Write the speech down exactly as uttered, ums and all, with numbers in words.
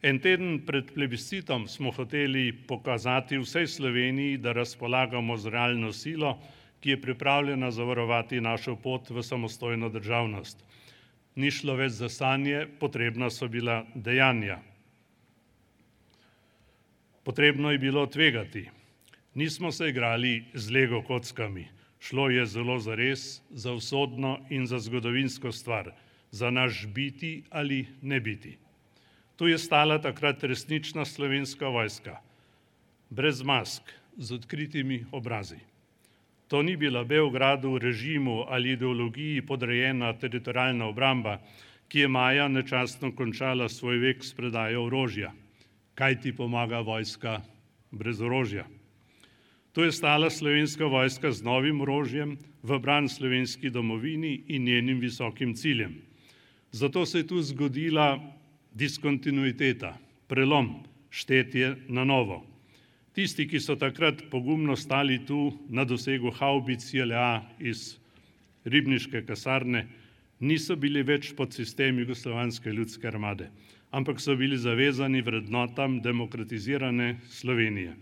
En teden pred plebiscitom smo hoteli pokazati vsej Sloveniji, da razpolagamo z realno silo, ki je pripravljena zavarovati našo pot v samostojno državnost. Ni šlo več za sanje, potrebna so bila dejanja. Potrebno je bilo tvegati. Nismo se igrali z lego kockami. Šlo je zelo zares, za usodno in za zgodovinsko stvar, za naš biti ali ne biti. Tu je stala takrat resnična slovenska vojska, brez mask, z odkritimi obrazi. To ni bila Beogradu, režimu ali ideologiji podrejena teritorialna obramba, ki je maja nečastno končala svoj vek s predajo orožja. Kaj ti pomaga vojska brez orožja? Tu je stala slovenska vojska z novim orožjem v bran slovenski domovini in njenim visokim ciljem. Zato se je tu zgodila diskontinuiteta, prelom, štetje na novo. Tisti, ki so takrat pogumno stali tu na dosegu havbic J L A iz ribniške kasarne, niso bili več pod sistem Jugoslovanske ljudske armade, ampak so bili zavezani vrednotam demokratizirane Slovenije.